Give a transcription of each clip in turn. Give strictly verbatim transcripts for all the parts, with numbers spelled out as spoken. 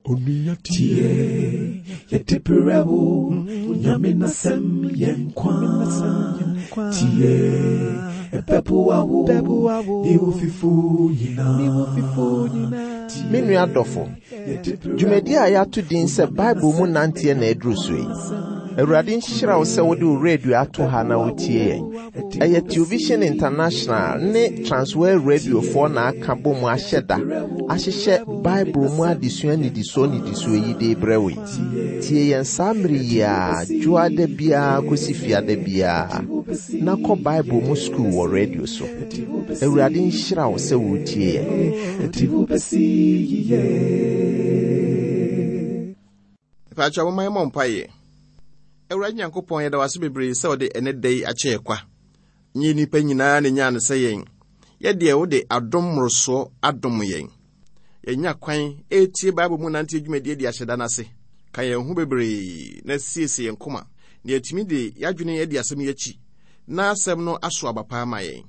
Tie, yɛde brɛ wo, Nyame n'asɛm yɛ nkwa. Tie, ɛbɛboa wo, ne wo fifo nyinaa. Me nua dɔfo, dwumadi a yɛato din sɛ Bible mu nanteɛ na aduru so yi. Awurade nhyira wo sɛ wode wo radio ato ha na wotie yɛn. Ɛyɛ Television International ne Transworld Radiofoɔ na aka bɔ mu ahyɛ da ahyehyɛ Bible mu adesua nnidisoɔ nnidisoɔ yi de brɛ wo yi. Tie yɛn saa mmere yi a dwoada biara kɔsi fiada biara na kɔ Bible mu sukuu wɔ radio so. Awurade nhyira wo sɛ wotie yɛn. Mpakyɛ momma yɛmmɔ mpaeɛ. Awurade Nyankopɔn, yɛda wo ase bebree sɛ wode ɛnɛ da yi akyɛ yɛ kwa. Nyɛ nnipa nyinaa na nyaa no sɛ yɛn. Yɛdeɛ wode adom mmorosoɔ adom yɛn. Yɛnya kwan ɛretie Bible mu nante dwumadie de ahyɛ da no ase. Ka yɛn ho bebree na siesie yɛn koma na yɛatumi de yɛadwene adi asɛm yi akyi na asɛm no aso aba pa ama yɛn.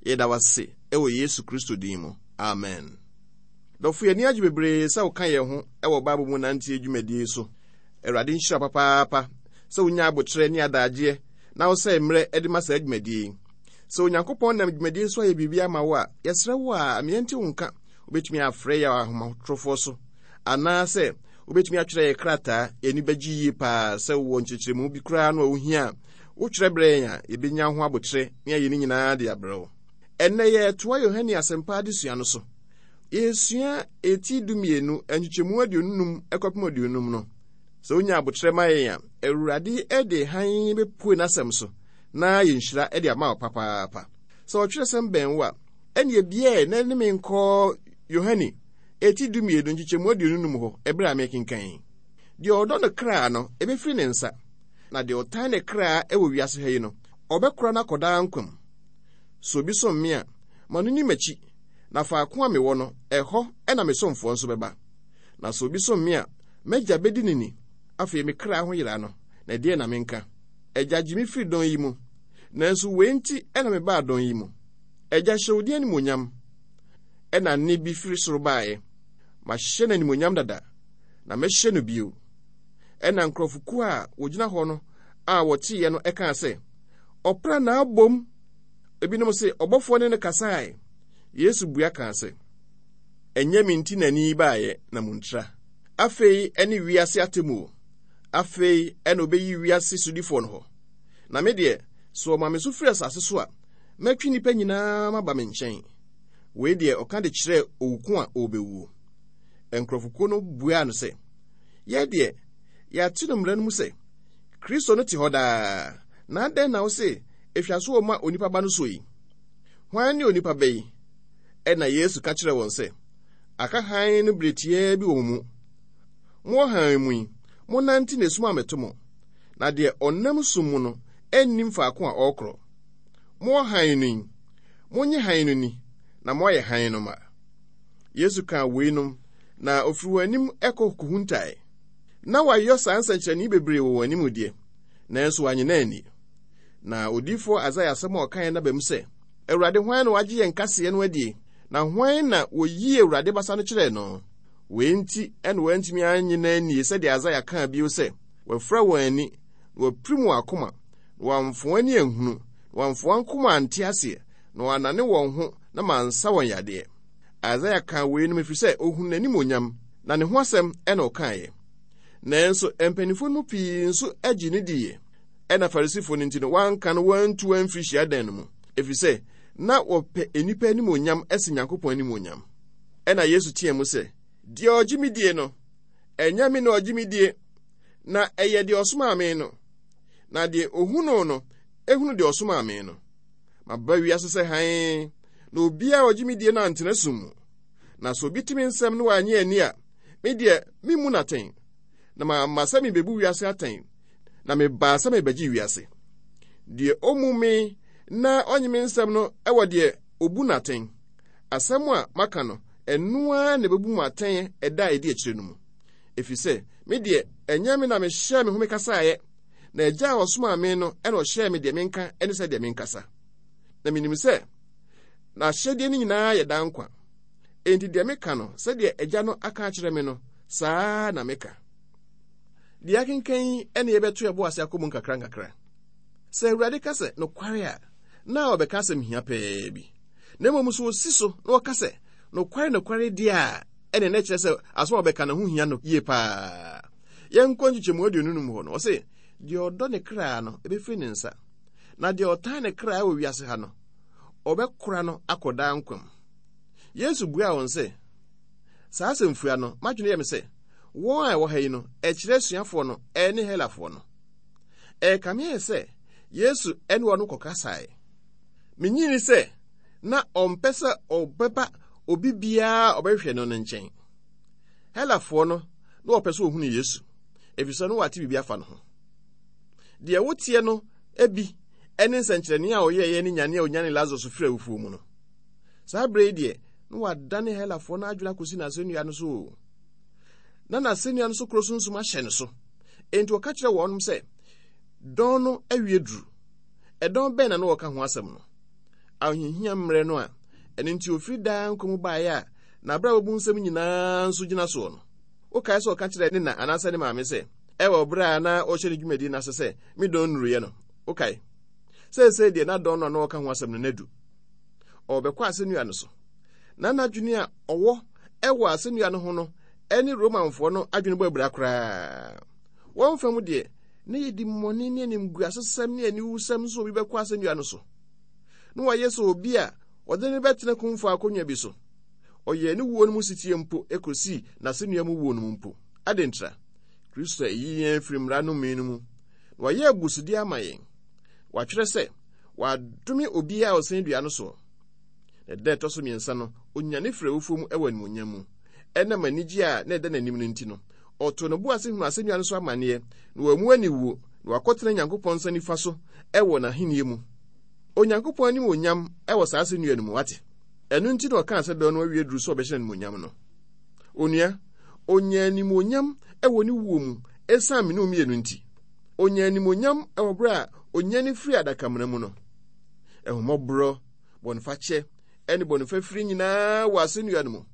Yɛda wo ase ɛwɔ Yesu Kristo din mu. Amen. Dɔfo, yɛn ani agye bebree sɛ woka yɛn ho ɛwɔ Bible mu nante dwumadie so. Awurade nhyira papaapa sɛ wonya abotrɛ ne adagyeɛ na wosɛe mmerɛ de ma saa dwumadie yi. Sɛ Onyankopɔn nam dwumadie so ayɛ biribi ama wo a, yɛsrɛ wo a mmeɛnte wo nka. Wobɛtumi afrɛ yɛ ahomatorofoɔ so anaasɛ wobɛtumi atwerɛ yɛ krataa. Yɛni bɛgye yie paa sɛ wowɔ nkyerɛkyerɛmu bi koraa no a wohia a wotwerɛ berɛ yɛn a yɛbɛnya ho abotrɛ ne ayɛ ne nyinaa de abrɛ wo. Ɛnnɛ yɛtoa Yohane Asɛmpa adesua no so. Yɛsua eti dumienu nkyekyɛmu aduonu num kɔpem aduonum no. Sɛ wonya abotrɛ ma yɛn a, Awurade de hann bɛpue n'asɛm so na yɛnhyira de ama wo papaapa. Sɛ ɔtwerɛsɛm bɛn wo a, ɛne biɛ na ne me nkɔ Yohane eti dumienu nkyekyɛmu aduonu num hɔ ɛberɛ a mekenkan. Deɛ ɔdɔ no kra no, ɛbɛfiri ne nsa, na deɛ ɔtan ne kra ɛwɔ wiase ha yi no, ɔbɛkora no akɔdaa nkwa mu. Sɛ obi som me a, ma no ni m'akyi, na faako a mewɔ no, ɛhɔ ɛna me somfoɔ nso bɛba. Na sɛ obi som me a, m'agya bɛdi ne ni. Afei me kra ho yera no, na ɛdeɛ na menka? Agya, gye me firi dɔn yi mu. Nanso wei nti ɛna mebaa dɔn yi mu. Agya, hyɛ wo din animuonyam. Ɛna nne bi firi soro baeɛ. Mahyɛ no animuonyam dada, na mɛhyɛ no bio. Ɛna nkurɔfokuo a wɔgyina hɔ no a wɔteeɛ no ɛkaa sɛ, ɔpra na abom. Ebinom se, ɔbɔfoɔ ne no kasae. Yesu bua kaa sɛ, ɛnyɛ me nti na ni baeɛ na muntra. Afei ɛne wiase atemmuo. Afei ɛna obeyi wiase sodifoɔ no hɔ. Na me deɛ, sɛ ɔma me so firi asase so a, mɛtwe nnipa nyinaa maba me nkyɛn. Wei deɛ ɔka de kyerɛɛ owu ko a ɔrebɛwuo. Nkurɔfokuo no buaa no sɛ, yɛ deɛ, yɛate no mmara no mu sɛ, Kristo no te hɔ daa, na adɛn na wo se, ehwa so ɔma onipa ba no so yi? Hwan ne onipa ba yi? Ɛna Yesu ka kyerɛɛ wɔn sɛ, aka hann no bere tiaa bi wɔ mo mu. Mowɔ hann mu yi, monnante na esum ammɛto mo. Na deɛ ɔnam sum mu no nnim faako a ɔrekorɔ. Mowɔ hann no yi, monnye hann no ni, na moayɛ hann no ma. Yesu kaa weinom, na ofiri wɔn anim kɔ kohuntae. Na wayɔ saa nsɛnkyerɛnne bebree wɔ wɔn anim deɛ, nanso wannye no anni. Na odiyifoɔ Isaia asɛm a ɔkaeɛ no aba mu sɛ, Awurade, hwan na wagye yɛn kaseɛ no adie? Na hwan na wɔyii Awurade basa no kyerɛɛ no? Wei nti ɛna wɔantumi annye no annie sɛdeɛ Isaia kaa bio sɛ, wɔafura wɔn ani, na wɔapirim wɔn akoma, na wɔamfa wɔn ani anhunu, na wɔamfa wɔn akoma ante aseɛ, na wɔannane wɔn ho na mansa wɔn yadeɛ. Isaia kaa weinom ɛfiri sɛ ohunu n'animuonyam, na ne ho asɛm ɛna ɔkaeɛ. Nanso mpanimfoɔ no mu pii nso agye no diiɛ. Ɛna Farisifoɔ no nti no, wɔanka no wɔantu amfiri hyiadan no mu, ɛfiri sɛ na wɔpɛ nnipa animuonyam ɛsen Nyankopɔn animuonyam. Ɛna Yesu teɛ mu sɛ, deɛ ɔgye me die no, ɛnyɛ me na ɔgye me die, na ɛyɛ deɛ ɔsomaa me no. Na deɛ ohunuu no, ehunu deɛ ɔsomaa me no. Maba wiase sɛ hann, na obiara a ɔgye me die no antena sum mu. Na sɛ obi te me nsɛm na wannye anni a, me deɛ memmu no atɛn. Na mamma sɛ mebebu wiase atɛn, na mebaa sɛ mebɛgye wiase. Deɛ ommu me na ɔnye me nsɛm no wɔ deɛ obu no atɛn. Asɛm a maka no, ɛno ara na ɛbɛbu mo atɛn ɛda a ɛdi akyire no mu. Ɛfiri sɛ, me deɛ, ɛnyɛ me na mehyɛɛ me ho mekasaeɛ, na agya a ɔsomaa me no ɛna ɔhyɛɛ me deɛ menka ne sɛ deɛ menkasa. Na menim sɛ, n'ahyɛdeɛ no nyinaa yɛ daa nkwa. Enti deɛ meka no, sɛdeɛ agya no aka akyerɛ me no, Saa na meka. Deɛ akenkan yi ne yɛbɛto yɛbo ase akɔ mu nkakra nkakra. Sɛ Awurade ka sɛ nokware a, na ɔbɛka asɛm hia pɛɛ bi. Na mmom so osi so na ɔka sɛ nokware nokware deɛ a, ɛne na kyerɛ sɛ asɛm a ɔbɛka no ho hia no yie paa. Yɛnkɔ nkyekyɛmu aduonu no mu hɔ no, ɔse, deɛ ɔdɔ ne kra no, ɛbɛfiri ne nsa. Na deɛ ɔtan ne kra wɔ wiase ha no, ɔbɛkora no akɔ daa nkwa mu. Yesu buaa wɔn sɛ, saa asɛmfua no, m'adwene yɛ me sɛ, wɔn a ɛwɔ ha yi no, ɛkyerɛ asuafoɔ no ɛne Helafoɔ no. Ɛkame ayɛ sɛ Yesu ɛne wɔn kɔkasae. Minyini sɛ na ɔmpɛ sɛ ɔbɛba obi biara a ɔbɛhwehwɛ no no nkyɛn. Helafoɔ no na wɔpɛ sɛ wɔhunu Yesu, efisɛ no wɔate biribi afa no ho. Deɛ woteɛ no ebi ɛne nsɛnkyerɛnne a ɔyɛeɛ ne nyane a onyane Lazarus firi awufoɔ mu no. Saa berɛ yi deɛ, na wadane Helafoɔ no adwene akɔsi n'asɛnnua no so o. Na n'asɛnnua no so koro sunsum ahyɛ no so. Enti ɔka kyerɛ wɔnom sɛ, dɔn no awie duru. Ɛdɔn bɛn na na wɔka ho asɛm no? Ahohiahia mmerɛ no a, ɛno nti ofiri daa nkwa mu baeɛ a, n'abrabɔ mu nsɛm nyinaa nso gyina soɔ no. Wokae sɛ ɔka kyerɛ ne na anaasɛ ne maame sɛ, ɛwɔ berɛ a na ɔhyɛ ne dwumadi no ase sɛ, me dɔn nnuruyɛ no. Wokae? Seesei deɛ na dɔn no a na ɔka ho asɛm no nadu. Ɔrebɛkɔ asɛnnua no so. Na n'adwene a ɔwɔ ɛwɔ asɛnnua no ho no ɛne Romanfoɔ no adwene bɔ abira koraa. Wɔn fam deɛ, na yɛdi mmɔne ne animguasesɛm ne aniwusɛm nso obi bɛkɔ asɛnnua no so. Na wayɛ sɛ obi a ɔde ne bɛtena kumfo akonnwa bi so. Ɔyɛɛ ne wuo no mu sitie mpo ekosii n'asɛnnua mu wuo no mu mpo. Adɛn? Kristo ayi yɛn afiri mmara no no mu. Na wayɛ abusudeɛ ama yɛn. Watwerɛ sɛ, wadome obiara a ɔsɛn dua no soɔ. Na da ɛtɔ so mmiɛnsa no, onyane firi awufoɔ mu ɛwɔ animuonyam mu. Ɛnam anigye a na ɛda n'anim no nti no, ɔtoo ne bo ase hunu asɛnnua no so amanneɛ, na wammu aniwuo, na wakɔtena Nyankopɔn nsa nifa so ɛwɔ n'ahenni mu. Onyankopɔn anim onyam ɛwɔ saa asɛnnua no mu, wate? Ɛno nti na ɔkaa sɛ dɔn no awie duru sɛ ɔbɛhyɛ animuonyam no. Onua, onya animuonyam ɛwɔ ne wuo mu ɛsiane me ne wo mmienu nti. Onya animuonyam ɛwɔ berɛ a onyane firi adakamena mu no. Ɛhummɔborɔ, bɔnefakyɛ, ɛne bɔnefafiri nyinaa wɔ asɛnnua no mu.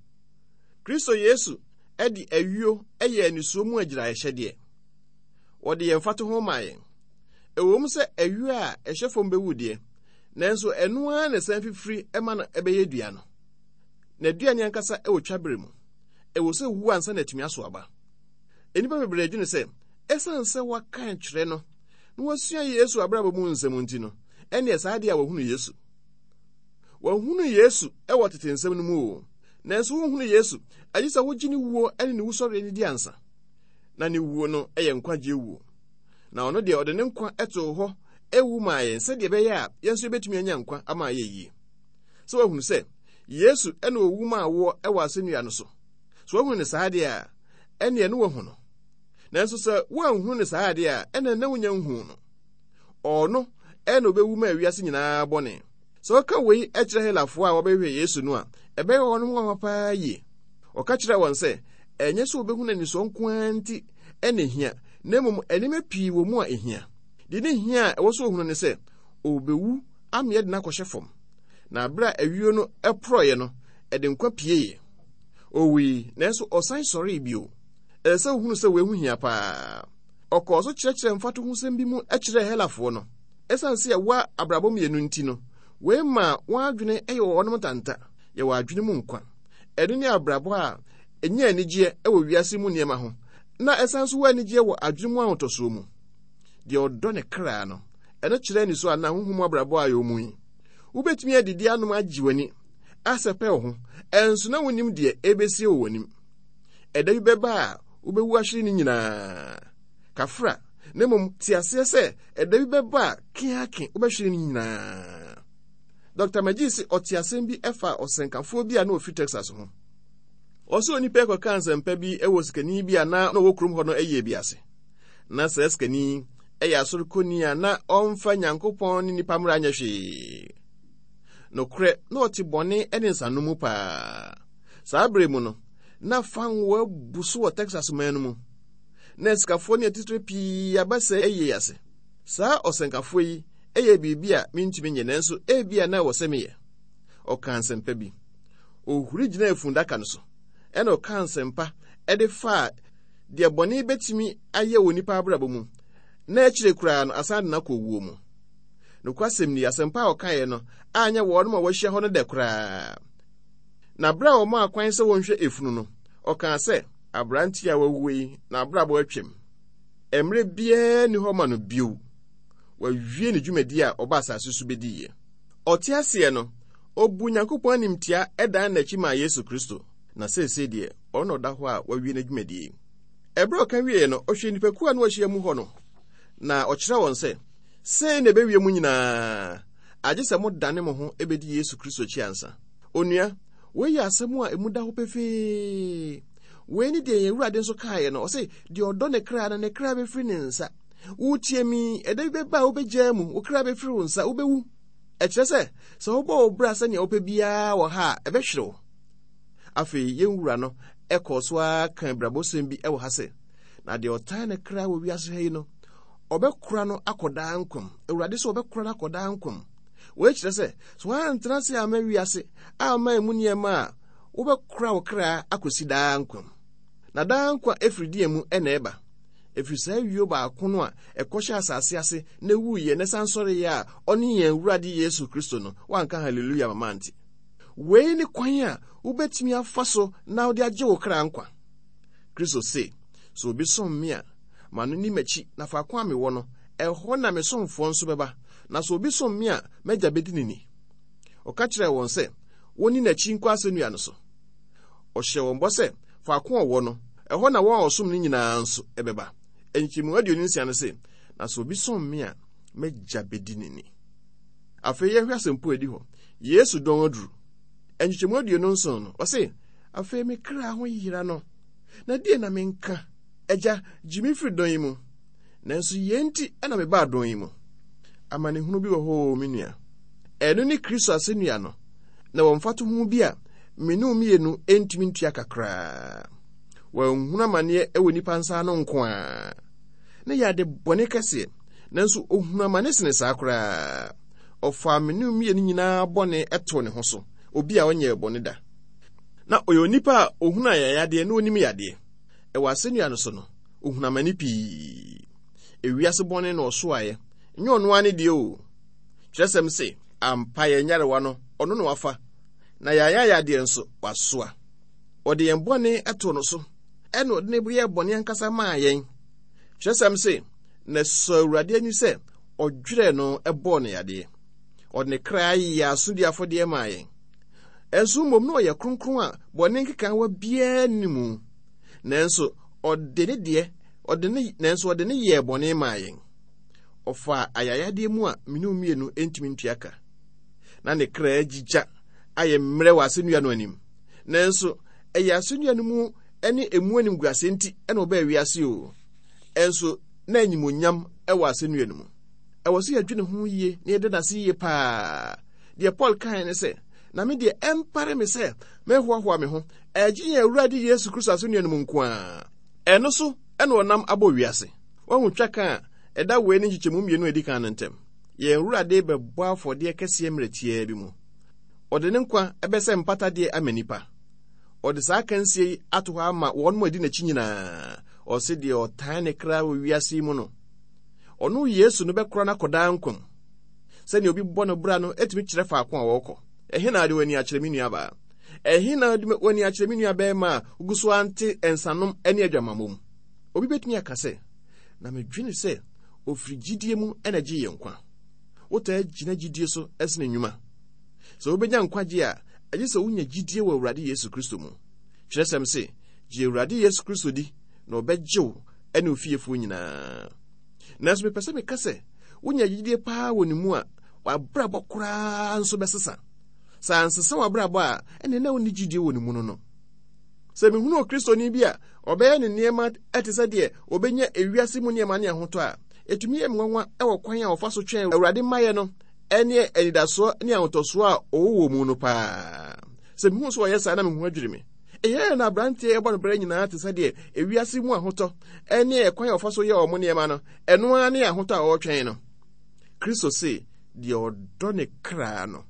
Kristo Yesu ɛde ayuo ɛyɛ anisuo mu agyiraehyɛdeɛ. Wɔde yɛn mfatoho maa yɛn. Ɛwɔ mu sɛ ayuo a ɛhyɛ fam bɛwu deɛ, nanso ɛno ara na ɛsan fifiri ɛma no ɛbɛyɛ dua no. Na dua ne ankasa ɛwɔ twabere mu. Ɛwɔ sɛ wu ansa na atumi aso aba. Nnipa bebree adwene sɛ, ɛsiane sɛ wɔaka kyerɛ no na wɔasua Yesu abrabɔ mu nsɛm nti no, ɛneɛ saa adeɛ a wɔhunu Yesu. Wɔahunu Yesu ɛwɔ tete nsɛm no mu o. Nanso wonhunu Yesu, agye sɛ wogye ne wuo ne ne wusɔreɛ no di ansa. Na ne wuo no yɛ nkwagyeɛ wuo. Na ɔno deɛ ɔde ne nkwa too hɔ ewu maa yɛn sɛdeɛ ɛbɛyɛ a yɛn nso yɛbɛtumi anya nkwa ama ayɛ yie. Sɛ woahunu sɛ Yesu ɛna owu maa woɔ ɛwɔ asɛnnua no so. Sɛ woahunu ne saa deɛ a, ɛneɛ ne woahu no. Nanso sɛ woanhunu ne saa deɛ a, ɛna na wonya nhuu no. Ɔno ɛna obɛwu maa wiase nyinaa bɔne. Sɛ ɔka wei kyerɛ Helafoɔ a wɔbɛhwehwɛ Yesu no a, ɛbɛyɛ wɔn nwanwa paa yie. Ɔka kyerɛɛ wɔn sɛ, ɛnyɛ sɛ wɔbɛhunu anisɔ nko ara nti ɛna ehia, na mmom nneɛma pii wɔ mu a ehia. Deɛ ne hia a ɛwɔ sɛ ohunu ne sɛ, ɔbɛwu ama yɛde no akɔhyɛ fam. Na abere a ayuo no ɛporɔeɛ no, ɛde nkwa pieeɛ. Owui, nanso ɔsan sɔree bio. Ɛsɛ sɛ wohunu sɛ wei ho hia paa. Ɔkɔɔ so kyerɛkyerɛ mfatohosɛm bi mu kyerɛɛ Helafoɔ no. Ɛsiane sɛ yɛwɔ abrabɔ mmienu nti no, wei ma wɔn adwene yɛ wɔn ntanta. Yɛwɔ adwene mu nkwa. Ɛno ne abrabɔ a ɛnyɛ anigyeɛ wɔ wiase mu nneɛma ho, na ɛsan so wɔ anigyeɛ wɔ adwene mu ahotɔsoɔ mu. Deɛ ɔdɔ ne kra no, ɛno kyerɛ anisɔ anaa honhom mu abrabɔ a yɛwɔ mu yi. Wobɛtumi adidi anom agye w'ani, asɛpɛ wo ho, ɛnso na wonim deɛ ɛbɛsie wɔ w'anim. Ɛda bi bɛba a wobɛwu ahwere ne nyinaa. Kafra, na mmom te aseɛ sɛ ɛda bi bɛba a keake wobɛhwere ne nyinaa. Dr. McGee se ɔte asɛm bi ɛfa ɔsɛnkafoɔ bi a na ɔfiri Texas ho. Ɔsɛ onipa ɛkɔka nsɛmpa bi ɛwɔ sikani bi a na ɔwɔ kurom hɔ no ɛyɛ bi ase. Na saa sikani ɛyɛ asɔrekɔni a na ɔmfa Nyankopɔn ne nipa mmara nyɛ hwee. Nokorɛ, na ɔte bɔne ne nsanom mu paa. Saa bere mu no, na fango abu so wɔ Texas man no mu. Na asikafoɔ ne atitire pii aba sɛ ɛyɛ ase. Saa ɔsɛnkafoɔ yi ɛyɛ biribi a mentumi nyɛ nanso ebia na ɛwɔ sɛ meyɛ. Ɔkaa nsɛmpa bi. Ohuri gyinaa efundaka no so, ɛna ɔkaa nsɛmpa de faa deɛ bɔne bɛtumi ayɛ wɔ nipa abrabɔ mu, na akyire koraa no asan de no akɔ owuo mu. Nokwasɛm ni, asɛmpa a ɔkaeɛ no anyɛ wɔnom a wɔahyia hɔ no dɛ koraa. Na berɛ a wɔmaa kwan sɛ wɔnhwɛ efunu no, ɔkaa sɛ, aberanteɛ a wawu yi, n'abrabɔ atwam. Mmerɛ biara nni hɔ ma no bio. Wawie ne dwumadi a ɔba asase so bɛdiiɛ. Ɔte aseɛ no, ɔbu Nyankopɔn animtia dan n'akyi maa Yesu Kristo. Na seesei deɛ, ɔno na ɔda hɔ a wawie n'adwumadie. Ɛberɛ a ɔka wieeɛ no, ɔhwɛ nnipakuo a na wɔahyia mu hɔ no, na ɔkyerɛ wɔn sɛ, sei na ɛbɛwie mu nyinaa, agye sɛ modane mo ho bɛdi Yesu Kristo akyi ansa. Onua, wei yɛ asɛm a emu da hɔ pefee. Wei ne deɛ yɛn Awurade nso kaeɛ no, ɔse, deɛ ɔdɔ ne kra no, ne kra bɛfiri ne nsa. Wotie mi, ɛda bi bɛba a wobɛgyaa mu, wo kra bɛfiri wo nsa, wobɛwu. Ɛkyerɛ sɛ, sɛ wobɔ wo bra sɛnea wopɛ biara wɔ ha a, ɛbɛhwere wo. Afei, yɛn wura no ɛkɔɔ so ara ka abrabɔsɛm bi wɔ ha sɛ, na deɛ ɔtan ne kra wɔ wiase ha yi no, ɔbɛkora no akɔ daa nkwa mu. Awurade sɛ ɔbɛkora no akɔ daa nkwa mu. Wei kyerɛ sɛ, sɛ woantena ase amma wiase amma emu nneɛma a, wobɛkora wo kra akɔsi daa nkwa mu. Na daa nkwa ɛfiri deɛ mu ɛna ɛba. Ɛfiri saa wio baako no a ɛkɔhyɛ asase ase na ɛwuiɛ na ɛsan sɔreeɛ a ɔne yɛn Awurade Yesu Kristo no, woanka hallelujah mama ante. Wei ne kwan a wobɛtumi afa so na wode agye wo kra nkwa. Kristo se, sɛ obi som me a, ma no ni m'akyi, na faako a mewɔ no, ɛhɔ na me somfoɔ nso bɛba. Na sɛ obi som me a, m'agya bɛdi ne ni. Ɔka kyerɛɛ wɔn sɛ, wɔnni n'akyi nkɔ asɛnnua no so. Ɔhyɛɛ wɔn bɔ sɛ, faako a ɔwɔ no, ɛhɔ na wɔn a wɔsom no nyinaa nso bɛba. Nkyɛmu aduonu nsia no se, na sɛ obi som me a, m'agya bɛdi ne ni. Afei yɛnhwɛ asɛmpo a ɛdi hɔ. Yesu dɔn aduru. Nkyekyɛmu aduonu nson no, ɔse, afei me kra ho yera no, na deɛ na menka? Agya, gye me firi dɔn yi mu. Nanso yei nti na mebaa dɔn yi mu. Amanehunu bi wɔ hɔ o, me nua. Ɛno ne Kristo asɛnnua no, na wɔ mfatoho bi a me ne wo mmienu ntumi ntua kakraa. Wanhunu amanneɛ wɔ nnipa nsa ano nko ara. Na yɛ ade bɔne kɛseɛ, nanso ohunu amane sene saa koraa. Ɔfaa me ne wo mmienu nyinaa bɔne too ne ho so, obi a ɔnyɛɛ bɔne da. Na ɔyɛ onipa a ohunu ayayadeɛ na onim yadeɛ. Ɛwɔ asɛnnua no so no, ohunu amane pii. Ewiase bɔne na ɔsoaeɛ, nyɛ ɔno ara ne deɛ o. Kyerɛsɛm se, ampa yɛn nyarewa no, ɔno na wafa, na yɛn ayayadeɛ nso, wasoa. Ɔde yɛn bɔne too no so, ɛna ɔde ne yɛɛ bɔne ankasa maa yɛn. Kyerɛsɛm se, na ɛsɔ Awurade ani sɛ ɔdwerɛɛ no bɔɔ no yadeɛ. Ɔde ne kra yɛɛ asodi afɔdeɛ maa yɛn. Ɛnso mmom na ɔyɛ kronkron a bɔne nkekaawa biara nni mu. Nanso ɔde ne deɛ, ɔde ne, nanso ɔde ne yɛɛ bɔne maa yɛn. Ɔfaa ayayadeɛ mu a mene mmienu ntumi ntua ka. Na ne kra agyigya ayɛ mmerɛ wɔ asɛnnua no anim. Nanso ɛyɛ asɛnnua no mu ne emu animguaseɛ nti na ɔbaa wiase o. Ɛnso na animuonyam wɔ asɛnnua no mu. Ɛwɔ sɛ yɛdwene ho yie na yɛda n'ase yie paa. Deɛ Paul kae ne sɛ, na me deɛ ɛmpare me sɛ mɛhoahoa me ho, ɛgye yɛn Awurade Yesu Kristo asɛnnua no mu nko ara. Ɛno so ɛna ɔnam abɔ wiase. Wahu twaka a ɛda wei ne nkyekyɛmu mmienu a ɛdi kan no ntam. Yɛn Awurade bɛbɔ afɔdeɛ kɛseɛ mmerɛ tiaa bi mu. Ɔde ne nkwa bɛsɛ mpatadeɛ ama nnipa. Ɔde saa akansie yi ato hɔ ama wɔn mu adi n'akyi nyinaa. Ɔse deɛ ɔtan ne kra wɔ wiase yi mu no, ɔno Yesu no bɛkora no akɔ daa nkwa mu. Sɛnea obi bɔ no bra no etumi kyerɛ faako a wɔrekɔ. Ɛhe na ade w'ani akyerɛ me nuabaa? Ɛhe na ade w'ani akyerɛ me nua bɛrima a wogu so ante nsanom ne adwamammɔ mu? Obi betumi aka sɛ, na medwene sɛ ofiri gyidie mu na gye yɛn nkwa. Wotaa gyina gyidie so sene nnwuma. Sɛ wobɛnya nkwagye a, agye sɛ wonya gyidie wɔ Awurade Yesu Kristo mu. Kyerɛsɛm se, gye Awurade Yesu Kristo di na ɔbɛgye wo ne wo fiefoɔ nyinaa. Nanso mepɛ sɛ meka sɛ, wonya gyidie paa wɔ ne mu a, w'abrabɔ koraa nso bɛsesa. Sɛ ansesa w'abrabɔ a, ɛnneɛ na wonni gyidie wɔ ne mu no no. Sɛ mehunu Okristoni bi a ɔbɛyɛ ne nneɛma te sɛ deɛ ɔbɛnya ewiase mu nneɛma ne ahotɔ a, ɛtumi yɛ me nwanwa wɔ kwan a ɔfa so twɛn Awurade mmaeɛ no ne anidasoɔ ne ahotɔsoɔ a ɔwɔ wɔ mu no paa. Sɛ mehu sɛ ɔyɛ saa na mehu adwiri me. Ɛyɛ na aberanteɛ ɛbɔ no berɛ nyinaa te sɛ deɛ ewiase mu ahotɔ ne ɛkwan a ɔfa so yɛ ɔmo nneɛma no, ɛno ara ne ahotɔ a ɔretwɛn no. Kristo se, deɛ ɔdɔ ne kra no,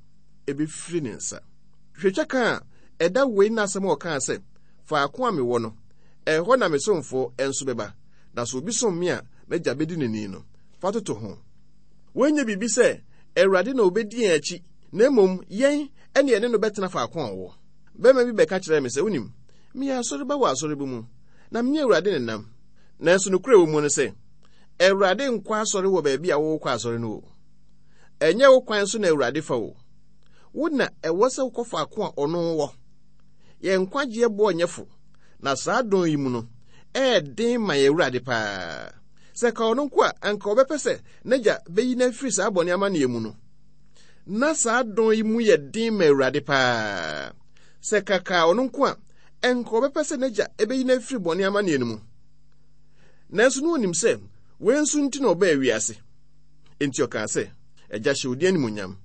ɛbɛfiri ne nsa. Hwɛ twaka a ɛda wei na asɛm a ɔkaa sɛ, faako a mewɔ no, Ɛhɔ na me somfoɔ nso bɛba, na sɛ obi som me a, m'agya bɛdi n'ani no. Fa toto ho. Wɔnyɛ biribi sɛ Awurade na obɛdi yɛn akyi, na mmom yɛn ɛne yɛne no bɛtena faako a ɔwɔ. Bɛrima bi bɛka kyerɛɛ me sɛ, wonim, meyɛ asɔreba wɔ asɔre bi mu, na mene Awurade ne nam. Nanso nokorɛ wɔ mu no sɛ, Awurade nkɔ asɔre wɔ baabi a wowokɔ asɔre no o. Ɛnyɛ wo kwan so na Awurade fa o. Wo na ɛwɔ sɛ wokɔ faako a ɔno wɔ. Yɛn nkwagyeɛ boɔ nyɛ fo, na saa dɔn yi mu no, ɛyɛ den ma yɛn Awurade paa. Sɛ ka ɔno nko a, anka ɔbɛpɛ sɛ n'agya bɛyi no afiri saa bɔne amanneɛ mu no. Na saa dɔn yi mu yɛ den ma Awurade paa. Sɛ kaka ɔno nko a, anka ɔbɛpɛ sɛ n'agya bɛyi no afiri bɔne amanneɛ no mu. Nanso na onim sɛ wei nso nti na ɔbaa wiase. Enti ɔkaa sɛ, Agya, hyɛ wo din animuonyam.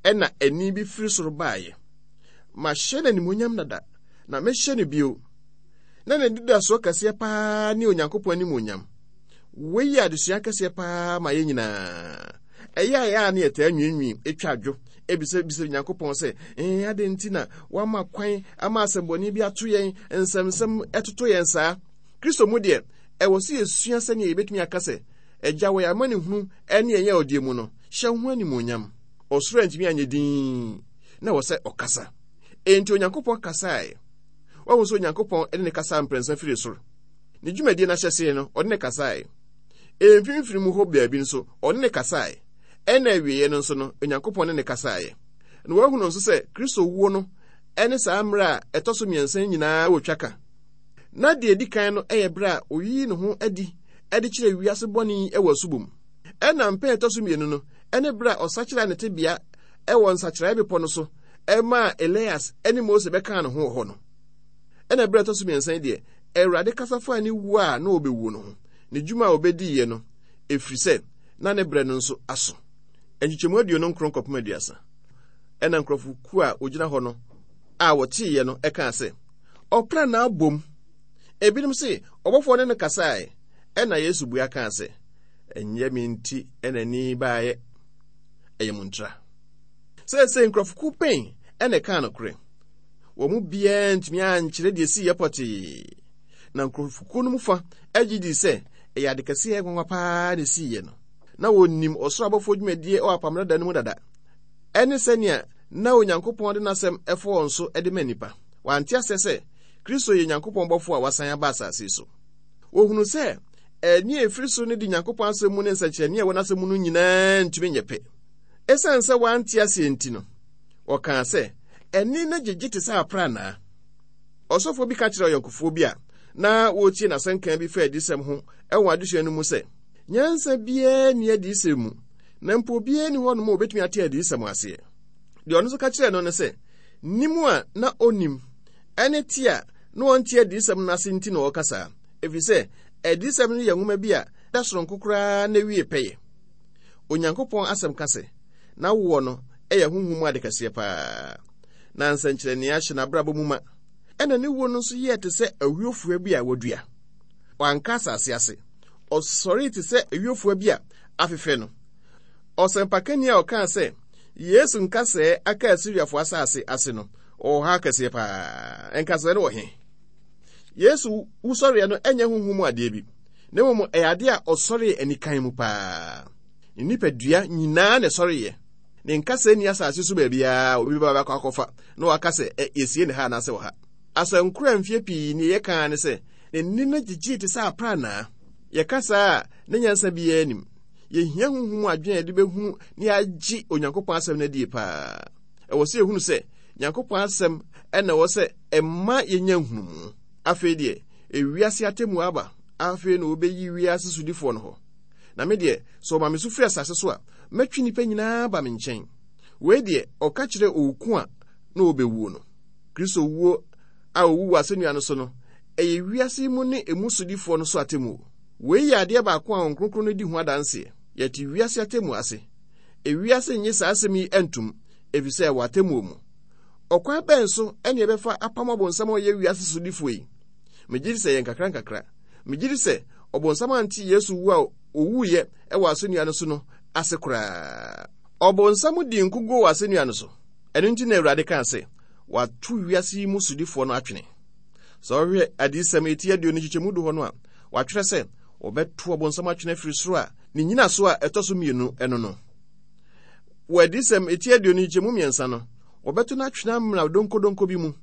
Ɛna ɛnne bi firi soro baeɛ. Mahyɛ no animuonyam dada, na mɛhyɛ no bio. Na n'anidasoɔ kɛseɛ paa ne Onyankopɔn animuonyam. Wei yɛ adesua kɛseɛ paa ma yɛn nyinaa. Ɛyɛ a ɛyɛ a ne yɛtaa nwiinwii, etwa adwo, ebisabisa Onyankopɔn sɛ, ɛn adɛn nti na wama kwan ama asɛmmɔne bi ato yɛn, nsɛmnsɛm ɛtoto yɛn saa? Kristo mu deɛ, ɛwɔ sɛ yɛsua sɛnea yɛbɛtumi aka sɛ, Agya, wɔ yɛn amanehunu ne yɛn yawodeɛ mu no, hyɛ wo ho animuonyam. Ɔsoro antumi anyɛ dinn, na ɛwɔ sɛ ɔkasa. Enti Onyankopɔn kasaeɛ. Wahu sɛ Onyankopɔn de ne kasa mprɛnsa firi soro. Ne dwumadie no ahyɛseɛ no, ɔde ne kasaeɛ. Mfimfini mu hɔ baabi nso, ɔne ne kasaeɛ. Ɛna awieeɛ no nso no, Onyankopɔn ne ne kasaeɛ. Na wahunu nso sɛ Kristo wuo no ne saa mmerɛ a ɛtɔ so mmiɛnsa nyinaa wɔ twa ka. Na deɛ ɛdi kan no yɛ berɛ a oyii ne ho adi de kyerɛ wiase bɔne yi wɔ asubɔ mu. Ɛna mpɛn ɛtɔ so mmienu no ne berɛ a ɔsakyera ne tebea wɔ nsakyeraeɛ bepɔ no so maa Elias ne Mose bɛkaa ne ho wɔ hɔ no. Ɛna berɛ ɛtɔ so mmiɛnsa yi deɛ, Awurade kasa faa ne wuo a na ɔbɛwuo no ho, ne dwuma a ɔbɛdiiɛ no, ɛfiri sɛ na ne berɛ no nso aso. Nkyekyɛmu aduonu nkron kɔpem aduasa. Ɛna nkurɔfokuo a wɔgyina hɔ no a wɔteeɛ no kaa sɛ, Ɔprannaa bom. Ebinom se, ɔbɔfoɔ ne no kasaeɛ. Ɛna Yesu bua kaa sɛ, Ɛnyɛ me nti na ani baeɛ, ɛyɛ mo ntira. Seesei nkurɔfokuo bɛn na ɛkaa nokorɛ? Wɔn mu biara ntumi ankyerɛ deɛ esiiɛ pɔtee. Na nkurɔfokuo no mu fa gye dii sɛ ɛyɛ ade kɛseɛ a ɛyɛ nwanwa paa na esiiɛ no. Na wɔnim ɔsoro abɔfoɔ dwumadie wɔ apam dada no mu dada, ɛne sɛnea na Onyankopɔn de n'asɛm fa wɔn so de ma nnipa. Wɔante aseɛ sɛ Kristo yɛ Nyankopɔn bɔfoɔ a wasan aba asase so. Wɔhunu sɛ ɛnne a ɛfiri soro no di Nyankopɔn asɛm mu ne nsɛnkyerɛnne a ɛwɔ n'asɛm mu no nyinaa ntumi nyɛ pɛ. Esiane sɛ wɔante aseɛ nti no, wɔkaa sɛ, Ɛnne no gyegye te sɛ aprannaa. Ɔsɔfoɔ bi ka kyerɛɛ ɔyɔnkofoɔ bi a na wɔretie n'asɛnka bi fa adiyisɛm ho wɔ adesua no mu sɛ, Nyansa biara nni adiyisɛm mu, na mpo obiara nni hɔnom a obetumi ate adiyisɛm aseɛ. Deɛ ɔno nso ka kyerɛɛ no ne sɛ, nim a na onnim ne te a na ɔnte adiyisɛm no ase nti na ɔreka saa, ɛfiri sɛ adiyisɛm no yɛ nwoma bi a da soronko koraa na ɛwie pɛyɛ. Onyankopɔn asɛm ka sɛ, n'awoɔ no yɛ honhom mu ade kɛseɛ paa, na nsɛnkyerɛnneɛ ahyɛ n'abrabɔ mu ma. Ɛna ne wuo no nso yɛɛ te sɛ ayuofua bi a wɔadua. Wanka asase ase. Ɔsɔree te sɛ ayuofua bi a afefɛ no. Ɔsɛmpakani a ɔkaa sɛ Yesu nkasɛɛ aka Asiriafoɔ asase ase no, ɔwɔ ha kɛseɛ paa. Nkasɛɛ no wɔ he? Yesu wusɔreɛ no ɛnyɛ honhom mu adeɛ bi, na mmom ɛyɛ adeɛ a ɔsɔree anikan mu paa. Ne nipadua nyinaa na ɛsɔreeɛ. Ne nkasɛɛ nni asase so baabiara a obi bɛba bɛkɔ akɔfa na waka sɛ ɛ yɛsie ne ha anaasɛ wɔ ha. Asɛnkoro a mfeɛ pii nie yɛka ne sɛ ne nne no gyegyee te sɛ aprannaa. Yɛka saa a, na nyansa biara nnim. Yɛhia honhom mu adwene a yɛde bɛhunu na yɛagye Onyankopɔn asɛm no adie paa. Ɛwɔ sɛ yɛhunu sɛ Nyankopɔn asɛm na ɛwɔ sɛ ɛma yɛnya nhunumu. Afei deɛ, ewiase atemmuo aba. Afei na wɔbɛyi wiase sodifoɔ no hɔ. Na me deɛ, sɛ wɔma me so firi asase so a, mɛtwe nnipa nyinaa aba me nkyɛn. Wei deɛ, ɔka kyerɛɛ owu ko a na ɔrebɛwuo no. Kristo wuo a ɔwu wɔ asɛnnua no so no, ɛyɛ wiase yi mu ne emu sodifoɔ no so atemmuo. Wei yɛ adeɛ baako a Honhom Kronkron no di ho adanseɛ. Yɛte wiase atemmuo ase. Ewiase nnye saa asɛm yi ntom, ɛfiri sɛ ɛwɔ atemmuo mu. Ɔkwan bɛn so na yɛbɛfa apam ɔbonsam a ɔyɛ wiase sodifoɔ yi? Megye di sɛ ɛyɛ nkakrankakra. Megye di sɛ ɔbonsam ante Yesu wu a owuiɛ wɔ asɛnnua no so no ase koraa. Ɔbonsam dii nkoguo wɔ asɛnnua no so. Ɛno nti na Awurade kaa sɛ, Wɔato wiase yi mu sodifoɔ no atwene. Sɛ ɔhwɛ Adiyisɛm eti aduonu nkyekyɛmu du hɔ no a, wɔatwerɛ sɛ wɔbɛto ɔbonsam atwene afiri soro a ne nnyinaso a ɛtɔ so mmienu ɛno no. Wɔ Adiyisɛm eti aduonu nkyekyɛmu mmiɛnsa no, wɔbɛto no atwene amena donkodonko bi mu.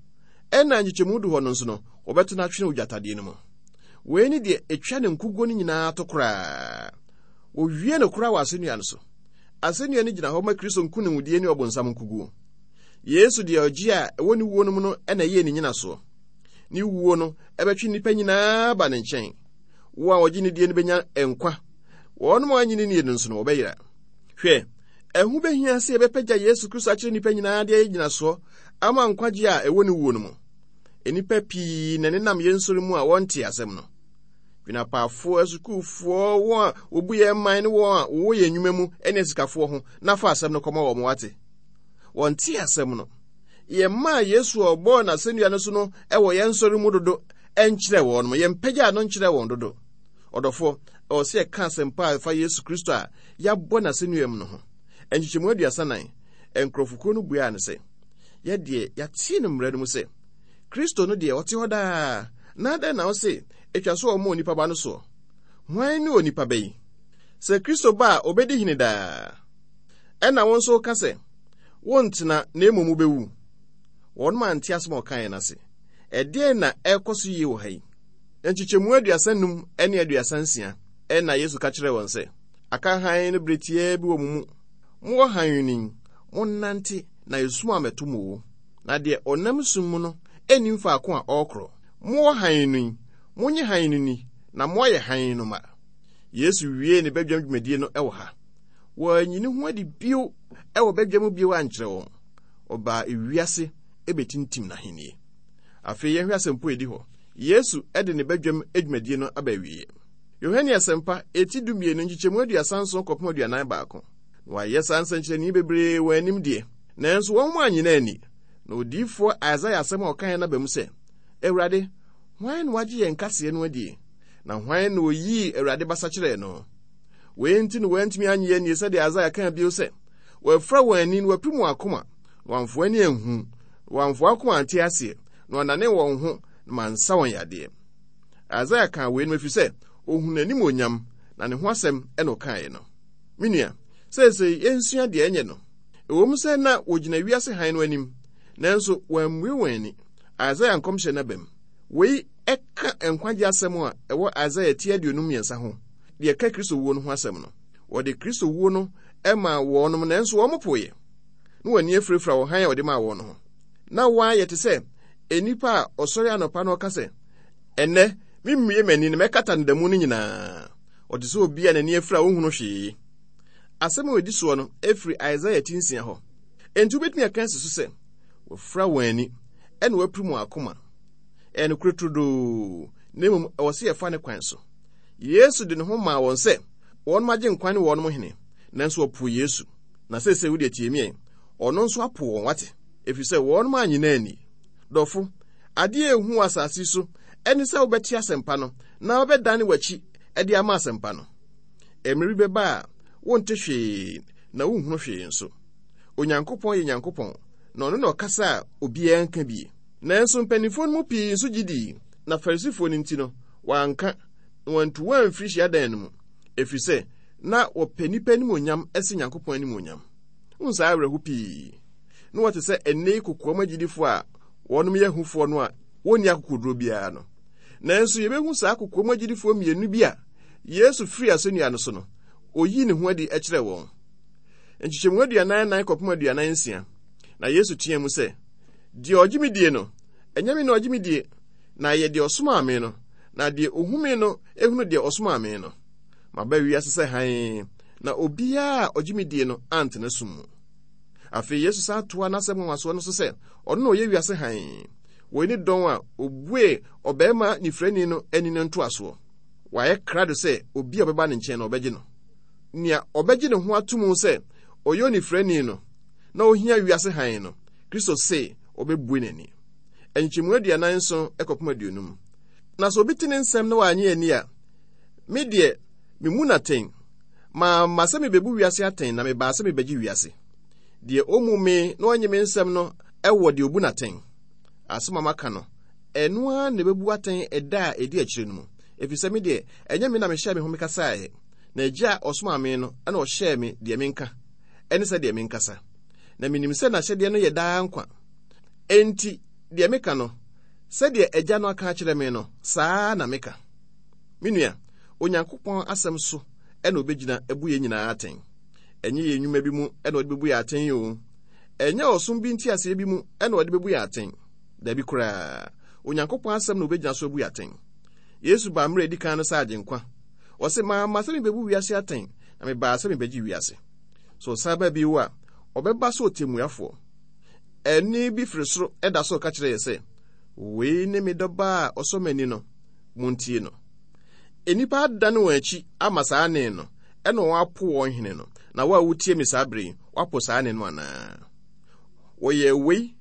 Ɛna nkyekyɛmu du hɔ no nso no, wɔbɛto no atwene ogyatadeɛ no mu. Wei ne deɛ etwa ne nkuguo no nyinaa to koraa. Wɔwie no koraa wɔ asɛnnua no so. Asɛnnua no gyina hɔ ma Kristo nkonimdie ne ɔbonsam nkuguo. Yesu deɛ ɔgye a ɛwɔ ne wuo no mu no ɛna ɛyɛ ne nyinasoɔ. Ne wuo no ɛbɛtwe nnipa nyinaa ba ne nkyɛn. Wo a wɔgye ne die no bɛnya nkwa. Wɔnom a wɔannye ne nie no nso no wɔbɛyera. Hwɛ, ɛho bɛhia sɛ yɛbɛpagya Yesu Kristo akyerɛ nnipa nyinaa de ayɛ gyinasoɔ ama nkwagye a ɛwɔ ne wuo no mu. Nnipa pii na nenam yɛn nsɔre mu a wɔnte asɛm no. Dwenapaafoɔ, asukuufoɔ, wɔn a wɔbu yɛn man ne wɔn a wɔwɔ yɛn nnwuma mu ne asikafoɔ ho na fa asɛm no kɔma wɔn wate. Wɔnte asɛm no. Yɛmmaa Yesu a ɔbɔɔ n'asɛnnua no so no wɔ yɛn nsɔre mu dodo nkyerɛ wɔn mo. Yɛmpagyaa no nkyerɛ wɔn dodo. Ɔdɔfoɔ, ɛwɔ sɛ yɛka asɛmpa a ɛfa Yesu Kristo a yɛabɔ n'asɛnnua mu no ho. Nkyekyɛmu aduasa nan, nkurɔfokuo no buaa no sɛ, yɛdeɛ yɛate no mmara no mu sɛ, Kristo no deɛ ɔte hɔ daa, na adɛn na wose atwa so ɔma onipa ba no soɔ? Hwan ne onipa ba yi? Sɛ Kristo ba a obɛdi hene daa. Ɛna wo nso woka sɛ, wontena na mmom wobɛwu. Wɔnom ante asɛm a ɔkaeɛ no ase. Ɛdeɛn na ɛrekɔ so yie wɔ ha yi? Nkyekyɛmu aduasa num ne aduasa nsia ɛna Yesu ka kyerɛɛ wɔn sɛ, aka hann no bere tiaa bi wɔ mo mu. Mowɔ hann no yi, monnante na esum ammɛto mo o. Na deɛ ɔnam sum mu no nnim faako a ɔrekorɔ. Mowɔ hann no yi, monnye hann no ni, na moayɛ hann no ma. Yesu wiee ne badwam dwumadie no wɔ ha. Wɔanyi ne ho adi bio wɔ badwam bio ankyerɛ wɔn. Ɔbaa ewiase ebetintim n'ahennie. Afei yɛnhwɛ asɛmpo a edi hɔ. Yesu de ne badwam dwumadie no aba awieeɛ. Yohane Asɛmpa, eti dumienu, nkyekyɛmu aduasa nson kɔpem aduanan baako. Na wayɛ saa nsɛnkyerɛnne bebree wɔn anim deɛ, nanso wɔn annye no anni. Na odiyifoɔ Isaia asɛm a ɔkaeɛ no aba mu sɛ, Awurade, hwan na wagye yɛn kaseɛ no adie? Na hwan na oyii Awurade basa kyerɛɛ no? Wei nti na wɔantumi annye annie sɛdeɛ Isaia kaa bio sɛ, wɔafura wɔn ani na wɔapirim wɔn akoma, na wɔamfo ani anhu, na wɔamfo akoma ante aseɛ, na wɔanane wɔn ho na mansa wɔn yadeɛ. Isaia kaa wei no ɛfiri sɛ ohunu n'animuonyam na ne ho asɛm ɛna ɔkaeɛ no. Me nua, seesei yɛnsua deɛ ɛnyɛ no. Ɛwɔ mu sɛ na wɔgyina wiase hann no anim, nanso wɔammue wɔn ani. Isaia nkɔmhyɛ no aba mu. Wei ɛka nkwagye asɛm a ɛwɔ Isaia ti aduonum mmiɛnsa ho, deɛ ɛka Kristo wuo no ho asɛm no. Wɔde Kristo wuo no maa wɔnom, nanso wɔn poeɛ. Na wɔn ani afirafira wɔ hann a wɔde maa wɔn no ho. Na wɔayɛ te sɛ nnipa a ɔsɔre anɔpa na ɔka sɛ, ɛnnɛ, memmue m'ani na mɛkata no da mu no nyinaa. Ɔte sɛ obi a n'ani afira a ɔnhunu hwee. Asɛm a ɛdi soɔ no ɛfiri Isaia ti nsia hɔ. Enti wobɛtumi aka asi so sɛ, wɔafura wɔn ani ɛna wɔapirim wɔn akoma. Ɛyɛ nokorɛ turodoo, na mmom ɛwɔ sɛ yɛfa ne kwan so. Yesu de ne ho maa wɔn sɛ wɔnom agye nkwa ne wɔnom hene, nanso wɔpoo Yesu. Na seesei wo deɛ tie me ɛ, ɔno nso apo wɔn wate, ɛfiri sɛ wɔnom annye no anni. Dɔfo, adeɛ a ɛhu wɔ asase so ɛne sɛ wobɛte asɛmpa no na wobɛdane w'akyi de ama asɛmpa no. Mmerɛ bi bɛba a wonte hwee na wonhunu hwee nso. Onyankopɔn yɛ Nyankopɔn, na ɔno na ɔkasa a obiara nka bie. Nanso mpanimfoɔ no mu pii nso gye dii, na Farisifoɔ no nti no, wɔanka, na wɔantu wɔn amfiri hyiadan no mu, ɛfiri sɛ na wɔpɛ nnipa animuonyam sen Nyankopɔn animuonyam. Wohu saa awerɛho pii. Na wɔte sɛ ɛnnɛ yi kokoam agyidifoɔ a wɔnom yɛ ahufoɔ no a wɔnni akokoduro biara no. Nanso yɛbɛhu saa kokoam agyidifoɔ mmienu bi a Yesu firi asɛnnua no so no, oyii ne ho adi kyerɛɛ wɔn. Nkyekyɛmu aduanan nan kɔpem aduanan nsia. Na Yesu teɛ mu sɛ, deɛ ɔgye me die no, ɛnyɛ me na ɔgye me die, na ɛyɛ deɛ ɔsomaa me no, na deɛ ohu me no ehunu deɛ ɔsomaa me no. Maba wiase sɛ hann, na obiara a ɔgye me die no antena sum mu. Afei Yesu san toa n'asɛm nwanwasoɔ no so sɛ ɔno na ɔyɛ wiase hann. Wei ne dɔn a obue ɔbarima nifirani no ani no ntoasoɔ. Wayɛ krado sɛ obi a ɔbɛba ne nkyɛn no ɔbɛgye no. Nea ɔbɛgye ne ho ato mu sɛ ɔyɛ onifirani no na ohia wiase hann no, Kristo se ɔbɛbue n'ani. Nkyɛmu aduanan nson kɔpem aduonum. Na sɛ obi te ne nsɛm na wannye anni a, me deɛ, memu no atɛn. Mamma sɛ mebebu wiase atɛn, na mebaa sɛ mebɛgye wiase. Deɛ ommu me na ɔnnye me nsɛm no wɔ deɛ obu no atɛn. Asɛm a maka no, Ɛno ara na ɛbɛbu atɛn ɛda a ɛdi akyire no mu. Ɛfiri sɛ me deɛ, ɛnyɛ me na mehyɛɛ me ho mekasaeɛ, na Agya a ɔsomaa me no na ɔhyɛɛ me deɛ menka, ɛne sɛdeɛ menkasa. Na menim sɛ n'ahyɛdeɛ no yɛ daa nkwa. Enti, deɛ meka no, sɛdeɛ Agya no aka akyerɛ me no, saa ara na meka. Me nua, Onyankopɔn asɛm so na obɛgyina abu yɛn nyinaa atɛn. Ɛnyɛ yɛn nnwuma bi mu na ɔde bɛbu yɛn atɛn o. Ɛnyɛ ɔsom bi nteaseɛ bi mu na ɔde bɛbu yɛn atɛn. Dabi koraa, Onyankopɔn asɛm na obɛgyina so abu yɛn atɛn. Yesu baa mmerɛ a ɛdi kan no sɛ Agyenkwa. Ɔse, Mamma sɛ mebɛbu wiase atɛn, na mebaa sɛ mebɛgye wiase. Sɛ ɔsan ba bio a, ɔbɛba sɛ ɔtemmuafoɔ. Ɛnne bi firi soro da so reka kyerɛ yɛ sɛ, Wei ne me dɔba a ɔsɔ m'ani no, montie no. Nnipa adane wɔn akyi ama saa nne no, ɛna wɔn apo wɔn hene no. Na wo a wotie me saa bere yi, woapo saa nne no anaa? Wɔyɛɛ wei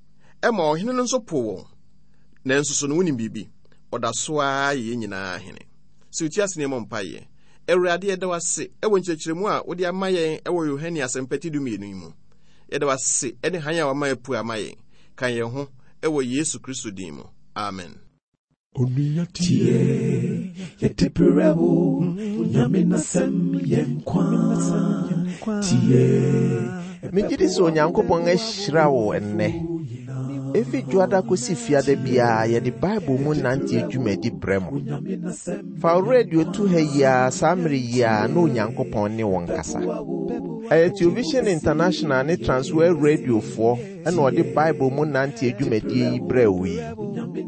ma ɔhene no nso poo wɔn. Nanso so no wonim biribi? Ɔda so ara yɛ yɛn nyinaa hene. Sɛ wotie ase na yɛmmɔ mpaeɛ. Awurade, yɛda wo ase wɔ nkyerɛkyerɛmu a wode ama yɛn wɔ Yohane Asɛmpa ti dumienu yi mu. Yɛda wo ase ne hann a wama apue ama yɛn. Ka yɛn ho wɔ Yesu Kristo din mu. Amen. Onua tie, yɛde brɛ wo, Onyame n'asɛm yɛ nkwa. Tie. Megye di sɛ Onyankopɔn ahyira wo ɛnnɛ. Efi Dwoada kosi Fiada biara yɛde Bible mu nante dwumadi brɛ mo. Fa wo radio to ha yi ara saa mmere yi ara na Onyankopɔn ne wo nkasa. Ɛyɛ Television International ne Transworld Radiofoɔ ɛna ɔde Bible mu nante dwumadie yi brɛ wo yi.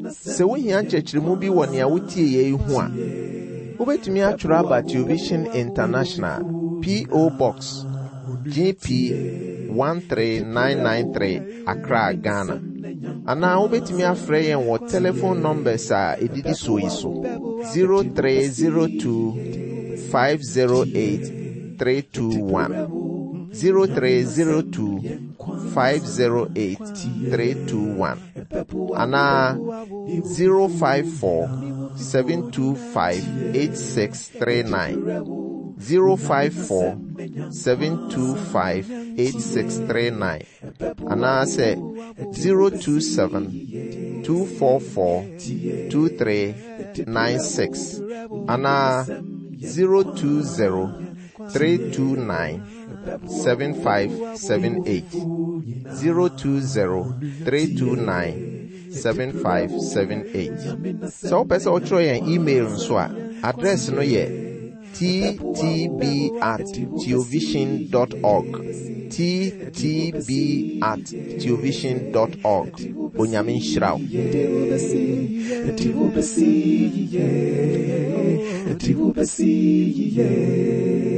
Sɛ wohia nkyerɛkyerɛmu bi wɔ nea wotie yɛ yi ho a, wobɛtumi atwerɛ aba Television International, P O. Box G P one three nine nine three, Accra, Ghana. Anaa wobɛtumi afrɛ yɛn wɔ telephone numbers a ɛdidi soɔ yi so: zero three zero two five zero eight three two one, zero three zero two five zero eight three two one, anaa zero five four seven two five eight six three nine, zero five four seven two five eight six three nine, anaasɛ zero two seven two four four two three nine six, anaa zero two zero three two nine seven five seven eight, zero two zero three two nine seven five seven eight. Sɛ wopɛ sɛ wotwerɛ yɛn email nso a, address no yɛ T T B at theovision dot org, T T B at theovision dot org. Onyame nhyira wo. Yɛde wo bɛsi yie, yɛde wo bɛsi yie.